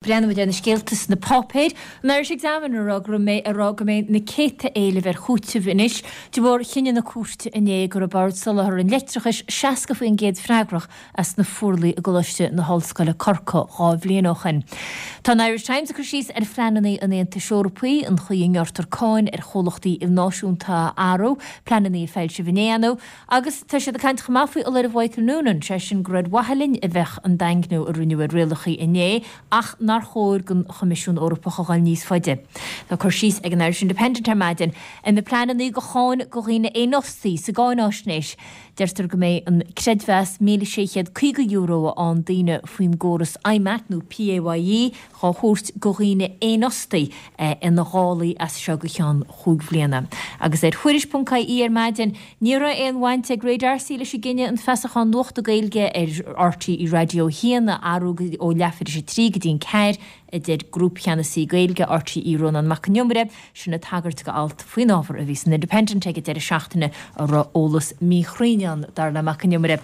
Breathnóidh muid ar na scéalta sna páipéir. An Irish Examiner ag rá go mbeidh ag rá go mbeidh na céadta éileamh ar chúiteamh anois de bharr chinneadh na cúirte inné go raibh Bord Soláthair an Leictreachais 60% freagrach as na fuarlaigh i gColáiste na hOllscoile Corcaigh 2 bhliain ó shin. Tá an Irish Times ag cur síos ar phleananna an Aontais Eorpaigh, an chaoi a ngearrtar cáin ar chomhlachtaí ilnáisiúnta a athrú, pleananna a foilsíodh inné ann. Agus tá siad ag caint chomh maith faoi fholáireamh Mhichael Noonan, sé sin gur ar mhaithe linn a bheadh an daingniú a rinneadh ar rialacha inné ach nár chóir don Choimisiún Eorpach a dhul níos faide. Tá cur síos ag an Irish Independent ar maidin ar na pleananna do cháin do dhaoine éanfhostaí sa gcáináisnéis. Deirtear go mbeidh an creidmheas €1,650 a fhaigheann daoine faoin gcóras IMAT nó PAYE dhá thabhairt do dhaoine éanfhostaí ina dhálaí as seo go ceann chúig bhliana. Agus ar Thuairisc.ie ar maidin, ní raibh aon bhaint ag Ray D'Arcy leis an gcinneadh an feasachán nuachta Gaeilge ar RTÉ Raidió 1 a athrú ó leathuair tar éis a 3 go dtí an 4, a deir Grúpcheannasaí Gaeilge RTÉ Rónán Mac Con Iomaire, sin ag tagairt do alt faoin ábhar a bhí san Independent ag an deireadh seachtaine a raibh eolas míchruinn ann, dar le Mac Con Iomaire.